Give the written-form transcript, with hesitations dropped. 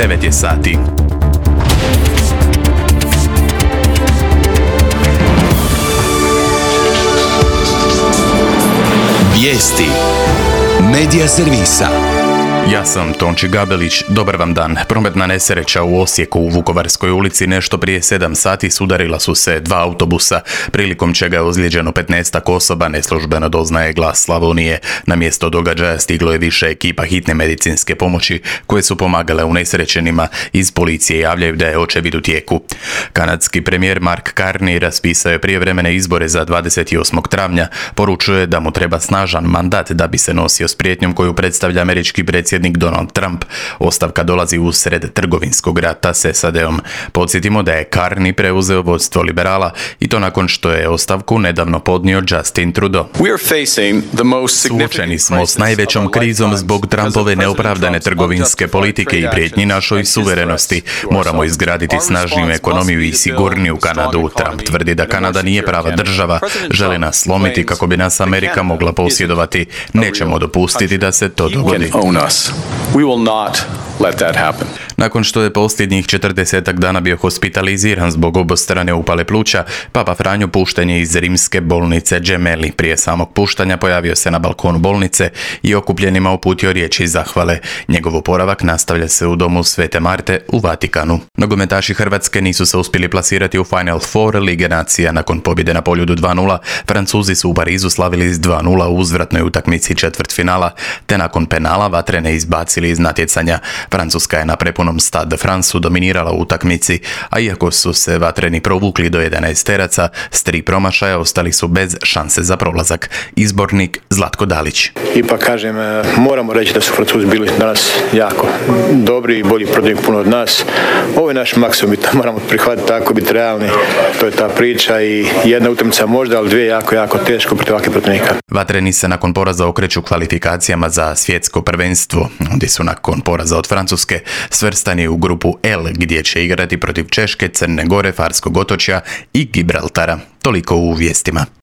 9 je sati. Vijesti Medija servisa. Ja sam Tonči Gabelić, dobar vam dan. Prometna nesreća u Osijeku u Vukovarskoj ulici nešto prije 7 sati sudarila su se 2 autobusa, prilikom čega je ozlijeđeno 15 osoba, neslužbeno doznaje Glas Slavonije. Na mjesto događaja stiglo je više ekipa hitne medicinske pomoći koje su pomagale unesrećenima. Iz policije javljaju da je očevid u tijeku. Kanadski premijer Mark Carney raspisao je prijevremene izbore za 28. travnja. Poručuje da mu treba snažan mandat da bi se nosio s prijetnjom koju predstavlja američki predsjednik Donald Trump. Ostavka dolazi usred trgovinskog rata s SAD-om. Podsjetimo da je Carney preuzeo vodstvo liberala i to nakon što je ostavku nedavno podnio Justin Trudeau. Suočeni smo s najvećom krizom zbog Trumpove neopravdane trgovinske politike i prijetnji našoj suverenosti. Moramo izgraditi snažniju ekonomiju i sigurniju Kanadu. Trump tvrdi da Kanada nije prava država, žele nas slomiti kako bi nas Amerika mogla posjedovati. Nećemo dopustiti da se to dogodi. We will not let that happen. Nakon što je posljednjih 40 dana bio hospitaliziran zbog obostrane upale pluća, Papa Franjo pušten je iz rimske bolnice Gemelli. Prije samog puštanja pojavio se na balkonu bolnice i okupljenima uputio riječi zahvale. Njegov oporavak nastavlja se u domu Svete Marte u Vatikanu. Nogometaši Hrvatske nisu se uspjeli plasirati u Final Four Lige nacija. Nakon pobjede na Poljudu 2:0, Francuzi su u Parizu slavili s 2:0 u uzvratnoj utakmici četvrtfinala, te nakon penala Vatrene izbacili iz natjecanja. Francuska je na prepunom Stade de France dominirala u utakmici, a iako su se Vatreni provukli do 11 teraca, s 3 promašaja ostali su bez šanse za prolazak. Izbornik Zlatko Dalić. Ipak kažem, moramo reći da su Francuzi bili danas jako dobri i bolji protiv puno od nas. Ovo je naš maksimum i to moramo prihvatiti, tako biti realni. To je ta priča i jedna utakmica možda, ali dvije jako teško protiv ovakvih protivnika. Vatreni se nakon poraza okreću kvalifikacijama za svjetsko prvenstvo. Oni su nakon poraza od Francuske svrstani u grupu L, gdje će igrati protiv Češke, Crne Gore, Farskog otočja i Gibraltara. Toliko u vijestima.